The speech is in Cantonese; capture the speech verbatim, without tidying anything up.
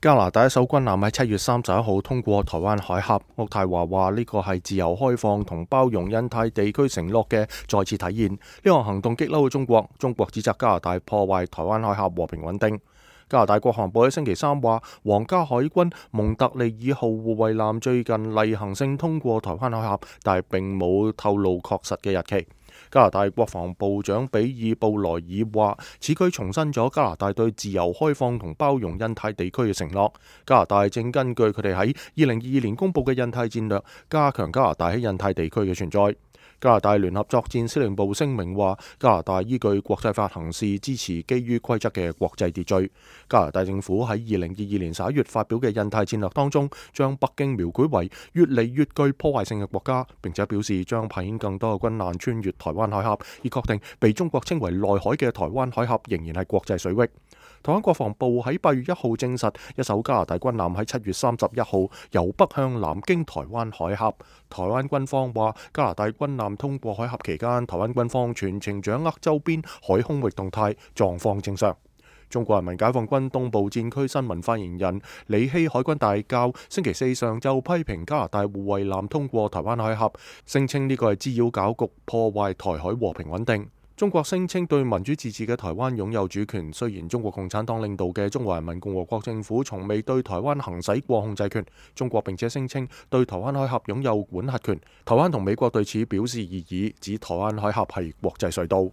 加拿大一艘軍艦喺七月三十一號通過台灣海峽，渥太華話呢個係自由開放同包容印太地區承諾嘅再次體現。呢項行動激嬲咗中國，中國指責加拿大破壞台灣海峽和平穩定。加拿大國防部喺星期三話，皇家海軍蒙特利爾號護衛艦最近例行性通過台灣海峽，但係並冇透露確實嘅日期。加拿大國防部長比爾布萊爾話，此舉重申咗加拿大對自由開放同包容印太地區嘅承諾。加拿大正根據佢哋喺二零二二年公佈嘅印太戰略，加強加拿大喺印太地區嘅存在。加拿大聯合作戰司令部聲明話，加拿大依據國際法行事，支持基於規則嘅國際秩序。加拿大政府喺二零二二年十一月發表嘅印太戰略當中，將北京描繪為越嚟越具破壞性嘅國家，並且表示將派遣更多嘅軍艦穿越台灣海峽，以確定被中國稱為內海嘅台灣海峽仍然係國際水域。台灣國防部喺八月一號證實，一艘加拿大軍艦喺七月三十一號由北向南經台灣海峽。台灣軍方話，加拿大軍艦通過海峽期間，台灣軍方全程掌握周邊海空域動態，狀況正常。中國人民解放軍東部戰區新聞發言人李希海軍大校星期四上晝批評加拿大護衛艦通過台灣海峽，聲稱呢個係滋擾搞局，破壞台海和平穩定。中國聲稱對民主自治嘅台灣擁有主權，雖然中國共產黨領導嘅中華人民共和國政府從未對台灣行使過控制權，中國並且聲稱對台灣海峽擁有管轄權。台灣同美國對此表示異議，指台灣海峽係國際隧道。